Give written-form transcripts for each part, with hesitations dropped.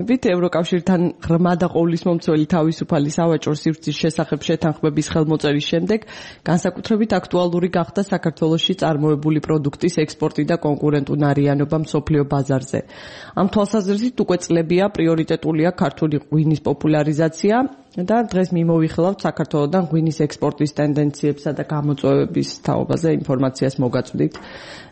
ევროკავშირთან ღრმა და ყოვლისმომცველი თავისუფალი სავაჭრო სივრცის შესახებ შეთანხმების ხელმოწერის შემდეგ განსაკუთრებით აქტუალური გახდა საქართველოში წარმოებული პროდუქტის ექსპორტი და კონკურენტუნარიანობა მსოფლიო ბაზარზე. Ამ თვალსაზრისით უკვე წლებია პრიორიტეტულია ქართული ღვინის პოპულარიზაცია და დღეს მიმოვიხილავთ საქართველოდან ღვინის ექსპორტის ტენდენციებსა და გამოწვევების თაობაზე ინფორმაციას მოგაწვდით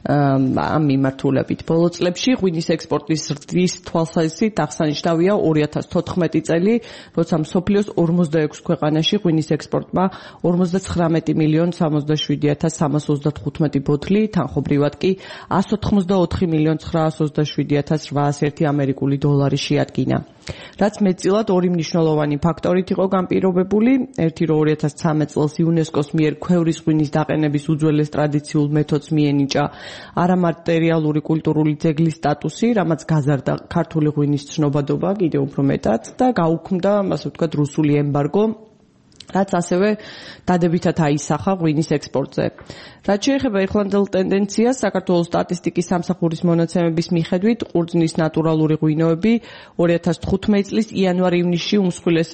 ამ მიმართულებით. ბოლო წლებში ღვინის ექსპორტის ზრდის თვალსაზრისით აღსანიშნავია 2014 წელი, როცა მსოფლიოს 46 ქვეყანაში ღვინის ექსპორტმა 59,077,335 ბოთლი, თანხობრივად კი 184,927,801 ამერიკული დოლარი შეადგინა. რაც მეტწილად ორი მნიშვნელოვანი ფაქტორით იყო განპირობებული. ერთი, რომ 2013 წელს იუნესკოს მიერ ქვევრის ღვინის დაყენების უძველეს ტრადიციულ მეთოდს მიენიჭა არამატერიალური კულტურული ძეგლის სტატუსი, რამაც გაზარდა ქართული ღვინის ცნობადობა კიდევ უფრო მეტად და გაუქმდა, ასე ვთქვათ, რუსული ემბარგო, რაც ასევე დადებითად აისახა ღვინის ექსპორტზე. რაც შეეხება ეხლანდელ ტენდენციას, საქართველოს სტატისტიკის სამსახურის მონაცემების მიხედვით, ყურძნის ნატურალური ღვინოები 2015 წლის იანვარ-ივნისში უმსხვილეს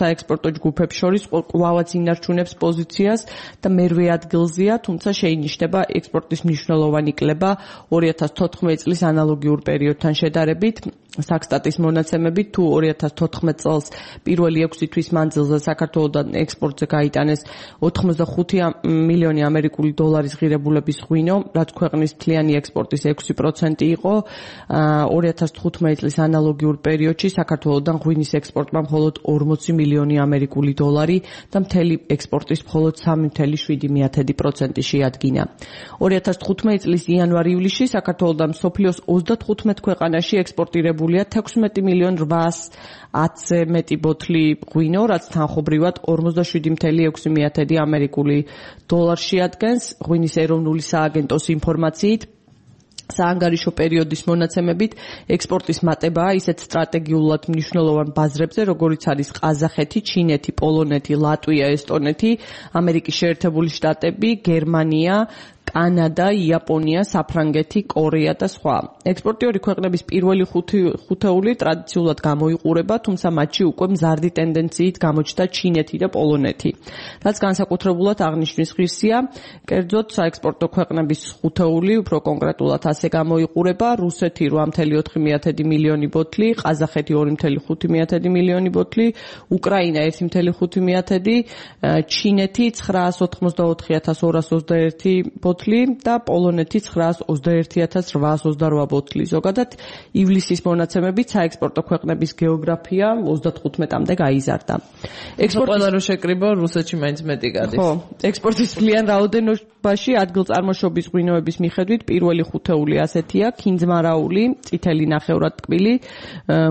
საექსპორტო ჯგუფებს შორის კვლავაც ინარჩუნებს პოზიციას და მერვე ადგილზეა, თუმცა შეინიშნება ექსპორტის მნიშვნელოვანი კლება 2014 წლის ანალოგიურ პერიოდთან შედარებით. Საქსტატის მონაცემებით, თუ 2014 წელს პირველი 6 თვის მანძილზე საქართველოდან ექსპორტზე გაიტანეს 85 მილიონი ამერიკული დოლარის ღირებულების ღვინო, რაც ქვეყნის მთლიანი ექსპორტის 6% იყო. 2015 წლის ანალოგიურ პერიოდში საქართველოდან ღვინის ექსპორტმა მხოლოდ 40 მილიონი ამერიკული დოლარი და მთელი ექსპორტის მხოლოდ 3.7% შეადგინა. 2015 წლის იანვარ-ივლისში საქართველოდან მსოფლიოს 35 ქვეყანაში ექსპორტირებული 16,810,000-ზე მეტი ბოთლი ღვინო, რაც თანხობრივად 47.6 ამერიკული დოლარი შეადგენს. ღვინის ეროვნული სააგენტოს ინფორმაციით, საანგარიშო პერიოდის მონაცემებით, ექსპორტის მატებაა ისეთ სტრატეგიულად მნიშვნელოვან ბაზრებზე, როგორიც არის ყაზახეთი, ჩინეთი, პოლონეთი, ლატვია, ესტონეთი, ამერიკის შეერთებული შტატები, გერმანია, კანადა, იაპონია, საფრანგეთი, კორეა და სხვა. ექსპორტიორი ქვეყნების პირველი ხუთეული ტრადიციულად გამოიყურება, თუმცა მათში უკვე მზარდი ტენდენციით გამოჩნდა ჩინეთი და პოლონეთი. რაც განსაკუთრებულად აღნიშვნის ღირსია, კერძოდ საექსპორტო ქვეყნების ხუთეული, უფრო კონკრეტულად ასე გამოიყურება: რუსეთი 8.4 მილიონი ბოთლი, ყაზახეთი 2.5 მილიონი ბოთლი, უკრაინა 1.5, ჩინეთი 984,221 ბოთლი და პოლონეთი 921,828 ბოთლი. ზოგადად, ივლისის მონაცემებით საექსპორტო ქვეყნების გეოგრაფია 35-მდე გაიზარდა. ყველა რო შეკრიბო, რუსეთში მაინც მეტი გადის. ხო, ექსპორტის მთლიან რაოდენობაში ადგილწარმოშობის ღვინოების მიხედვით პირველი ხუთეული ასეთია: ქინძმარაული, წითელი ნახევრადტკბილი,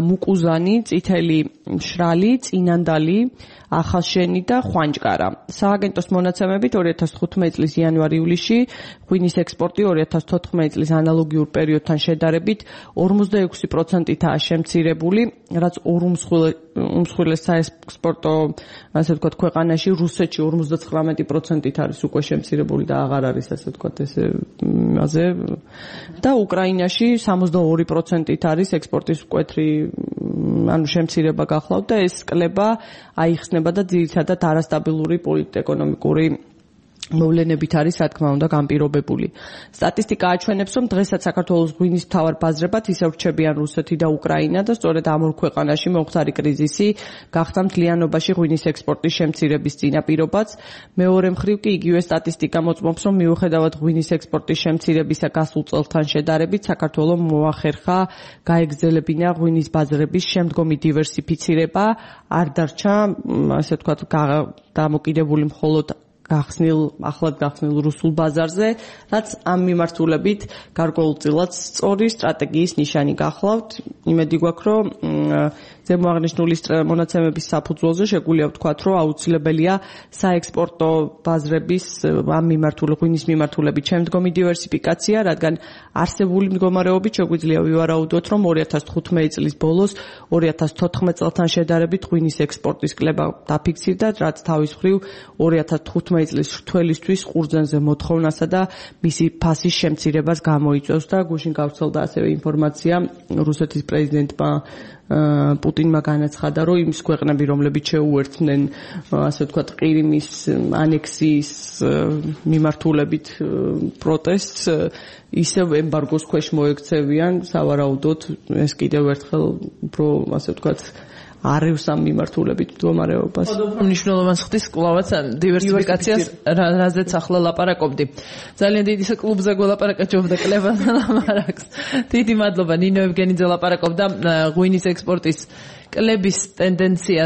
მუკუზანი, წითელი მშრალი, წინანდალი, ახალშენი და ხვანჭკარა. სააგენტოს მონაცემებით 2015 წლის იანვარ-ივლისში ღვინის ექსპორტი 2014 წლის ანალოგიურ პერიოდთან შედარებით 46%-აა შემცირებული, რაც ორ უმსხვილეს საექსპორტო, ასე ვთქვათ, ქვეყანაში, რუსეთში 59%-ით არის უკვე შემცირებული და აღარ არის, ასე ვთქვათ, ესე იმაზე და უკრაინაში 62%-ით არის ექსპორტის მკვეთრი შემცირება გახლავთ და ეს კლება აიხსნება და ძირითადად არასტაბილური პოლიტეკონომიკური მოვლენებით არის, რა თქმა უნდა, განპირობებული. სტატისტიკა აჩვენებს, რომ დღესაც საქართველოს ღვინის მთავარ ბაზრებად ისევ რჩებიან რუსეთი და უკრაინა და სწორედ ამ ორ ქვეყანაში მომხდარი კრიზისი გახდა მთლიანობაში ღვინის ექსპორტის შემცირების წინაპირობაც. მეორე მხრივ კი იგივე სტატისტიკა მოწმობს, რომ მიუხედავად ღვინის ექსპორტის შემცირებისა გასულ წელთან შედარებით, საქართველოს მოახერხა გაეგრძელებინა ღვინის ბაზრების შემდგომი დივერსიფიცირება, არ დარჩა, ასე ვთქვათ, დამოკიდებული მხოლოდ ახლად გახსნილ რუსულ ბაზარზე, რაც ამ მიმართულებით გარკვეულწილად სწორი სტრატეგიის ნიშანი გახლავთ. იმედი გვაქვს, რომ ზემოაღნიშნული მონაცემების საფუძველზე შეგვიძლია ვთქვათ, რომ აუცილებელია საექსპორტო ბაზრების ამ ღვინის მიმართულებით შემდგომი დივერსიფიკაცია, რადგან არსებული მდგომარეობით შეგვიძლია ვივარაუდოთ, რომ 2015 წლის ბოლოს 2014 წელთან შედარებით ღვინის ექსპორტის კლება დაფიქსირდა, რაც თავის მხრივ 2015 წლის რთველისთვის ყურძენზე მოთხოვნასა და მისი ფასის შემცირებას გამოიწვევს და გუშინ გავრცელდა ასევე ინფორმაცია რუსეთის პრეზიდენტმა პუტინმა განაცხადა, რომ იმის ქვეყნები, რომლებიც შეუერთდნენ, ასე ვთქვათ, ყირიმის ანექსიის მიმართულებით პროტესტს, ისევ ემბარგოს ქვეშ მოექცევიან, სავარაუდოდ ეს კიდევ ერთხელ უფრო, ასე ვთქვათ, არევს ამ მიმართულებით მდგომარეობას. მნიშვნელოვანს ხდის კლავაც დივერსიფიკაციას, რაზეც ახლა ლაპარაკობდი. ძალიან დიდი კლუბზე გველაპარაკა ჯობდა კლებან ლაპარაკს. დიდი მადლობა ნინო ევგენიძე ლაპარაკობდა ღვინის ექსპორტის კლების ტენდენციაზე.